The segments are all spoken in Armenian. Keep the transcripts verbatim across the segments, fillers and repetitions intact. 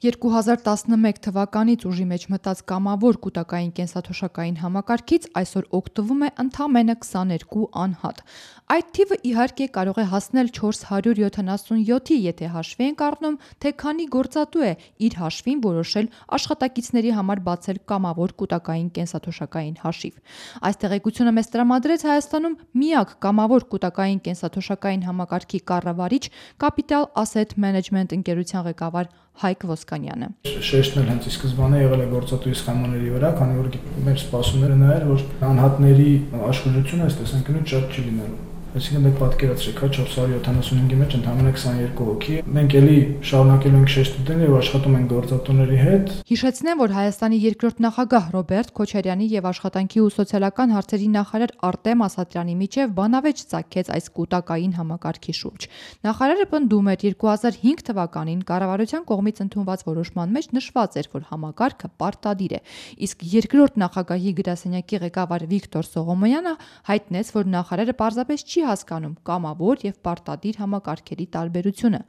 երկու հազար տասնմեկ թվականից ուժի մեջ մտած կամավոր կուտակային կենսաթոշակային համակարգից այսօր օգտվում է ընդամենը քսաներկու անհատ։ Այդ թիվը իհարկե կարող է հասնել չորս հարյուր յոթանասունյոթի, եթե հաշվի ենք առնում, թե քանի գործատու է իր հաշվին որոշել աշխատակիցների համար բացել կամավոր կուտակային կենսաթոշակային հաշիվ։ Այս տեղեկությունը մեզ տրամադրեց Հայաստանում միակ կամավոր կուտակային կենսաթոշակային համակարգի կառավարիչ Capital Asset Management ընկերության ղեկավար Հայկ Ոսկանյանը։ Շեշտն էլ հենց ի սկզբանե եղել է գործատուի սխեմաների վրա, քանի որ մեր սպասումները նա էր, որ անհատների աշխուժությունը այս տեսանկյունից շատ չի լինելու։ Այսինքն դեք պատկերացրեք, հա չորս հարյուր յոթանասունհինգի մեջ ընդամենը քսաներկու հոգի։ Մենք էլի շարունակելու ենք շեշտ տվել եւ աշխատում ենք գործատուների հետ։ Հիշեցնեմ, որ Հայաստանի երկրորդ նախագահ Ռոբերտ Քոչարյանի եւ աշխատանքի ու սոցիալական հարցերի նախարար Արտեմ Ասատրյանի միջև բանավեճ ծագեց այս կուտակային համակարգի շուրջ։ Նախարարը պնդում էր երկու հազար հինգ թվականին կառավարության կողմից ընդունված որոշման մեջ նշված էր, որ համակարգը պարտադիր է, իսկ երկրորդ նախագահի գրասենյակի ղեկավար Վիկտոր Սողոմոնյանը հայտնեց, որ նախարարը պարզապես չի հասկանում կամավոր եւ պարտադիր համակարգերի տարբերությունը։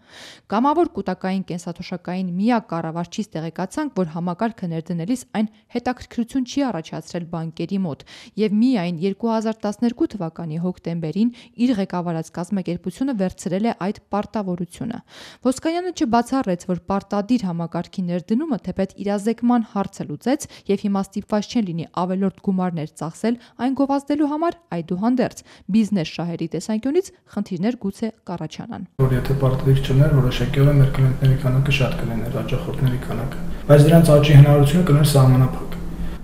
Կամավոր կուտակային կենսաթոշակային միակ կառավարչից տեղեկացանք, որ համակարգը ներդնելիս այն հետաքրքրություն չի առաջացրել բանկերի մոտ եւ միայն երկու հազար տասներկու թվականի հոկտեմբերին իր ղեկավարած կազմակերպությունը վերցրել է այդ պարտավորությունը։ Ոսկանյանը չբացառեց, որ պարտադիր համակարգի ներդնումը թեպետ իրազեկման հարցը լուծեց եւ հիմա ստիպված չեն լինի ավելորդ գումարներ ծախսել այն գովազդելու համար, այդուհանդերձ բիզնես շահերի տեսանկյունից խնդիրներ գուցե կառաջանան։ Որ եթե պարտադիր չլիներ, որոշակիորեն մեր կլիենտների քանակը շատ կլիներ, հաճախորդների քանակը, բայց դրանց աճի հնարավորությունը կլիներ սահմանափակ։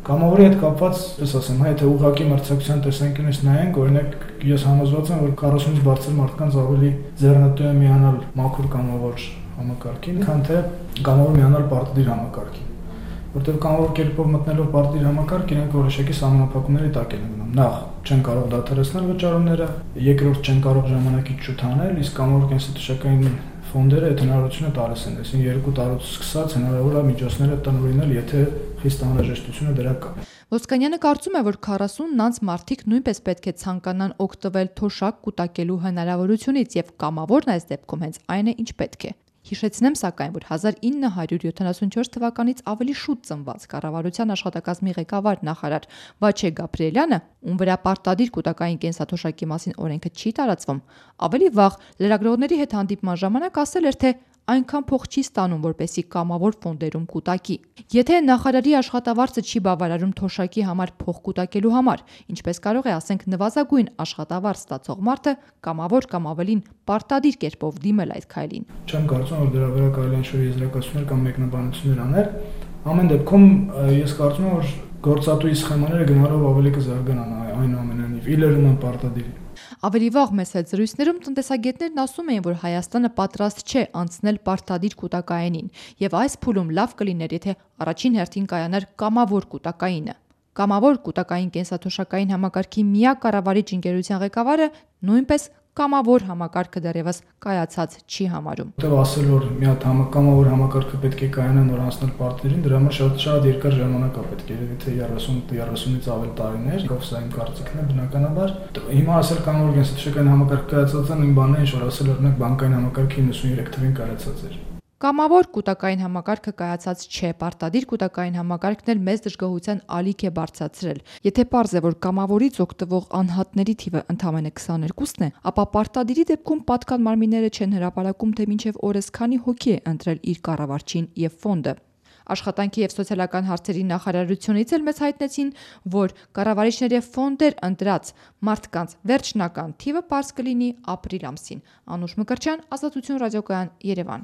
Կամավորի հետ կապված, ես ասեմ, հա, եթե ուղղակի մրցակցության տեսանկյունից նայենք, օրինակ ես համոզված եմ, որ քառասունից բարձր մարդկանց ավելի ձեռնտու է միանալ մաքուր կամավոր համակարգին, քան թե կամավոր միանալ պարտադիր համակարգին։ Որտեղ կամավոր կերպով մտնելով պարտադիր համակարգ, իրենք որոշակի սահմանափակումների տակ են մնում։ Նախ չեն կարող դադարեցնել վճարումները, երկրորդ չեն կարող ժամանակից շուտ անել, իսկ կամավոր կենսաթոշակային ֆոնդերը այդ հնարավորությունը տալիս են, այսինքն երկու տարուց սկսած հնարավոր է միջոցները տնօրինել, եթե խիստ անհրաժեշտությունը դրա կա։ Ոսկանյանը կարծում է, որ քառասունն անց մարդիկ նույնպես պետք է ցանկանան օգտվել թոշակ կուտակելու հնարավորությունից եւ կամավորն այս դեպքում հենց այն է, ինչ պետք է։ Հիշեցնեմ սակայն, որ հազար ինը հարյուր յոթանասունչորս թվականից ավելի շուտ ծնված կառավարության աշխատակազմի ղեկավար նախարար Վաչե Գաբրիելյանը, ում վրա պարտադիր կուտակային կենսաթոշակի մասին օրենքը չի տարածվում, ավելի վաղ լրագրողների հետ հանդիպման ժամանակ ասել էր, թե այնքան փող չի ստանում, որպեսզի կամավոր ֆոնդերում կուտակի։ Եթե նախարարի աշխատավարձը չի բավարարում թոշակի համար փող կուտակելու համար, ինչպես կարող է, ասենք, նվազագույն աշխատավարձ ստացող մարդը կամավոր կամ ավելին պարտադիր կերպով դիմել այդ քայլին։ Չեմ կարծում, որ դրա վրա կարելի է ինչ-որ եզրակացություններ կամ մեկնաբանություններ անել։ Ամեն դեպքում ես կարծում եմ, որ գործատուի սխեմաները գնալով ավելի կզարգանան, այնուամենայնիվ իլերում են պարտադիր։ Ավելի վաղ մեծ հետ զրույցներում տնտեսագետներն ասում էին, որ Հայաստանը պատրաստ չէ անցնել պարտադիր կուտակայինին, եւ այս փուլում լավ կլիներ, եթե առաջին հերթին կայանար կամավոր կուտակայինը։ Կամավոր կուտակային կենսաթոշակային համակարգի միակ կառավարիչ ընկերության ղեկավարը նույնպես կամավոր համակարգը դեռևս կայացած չի համարում։ Որտեղ ասել, որ մի հատ կամավոր համակարգը պետք է կայանա նոր անցնել պարտադիրին, դրա համար շատ շատ երկար ժամանակ է պետք, երևի թե երեսուն երեսունից ավել տարիներ, ով սա իմ կարծիքն է բնականաբար։ Հիմա ասել կամավոր կենսաթոշակային համակարգ կայացած է, նույն բանն է, ինչ որ ասել օրինակ բանկային համակարգի իննսունյոթ թվին կայացած էր։ Կամավոր կուտակային համակարգը կայացած չէ, պարտադիր կուտակային համակարգն էլ մեծ դժգոհության ալիք է բարձրացրել։ Եթե պարզ է, որ կամավորից օգտվող անհատների թիվը ընդամենը քսաներկուսն է, ապա պարտադիրի դեպքում պատկան մարմինները չեն հրապարակում, թե մինչև օրս քանի հոգի է ընտրել իր կառավարչին եւ ֆոնդը։ Աշխատանքի եւ սոցիալական հարցերի նախարարությունից էլ մեզ հայտնեցին, որ կառավարիչների ֆոնդեր ընտրած մարդկանց վերջնական թիվը պարզ կլինի ապրիլ ամսին։ Անուշ Մկրտչյան, Ազատություն ռադիոկայան, Երևան։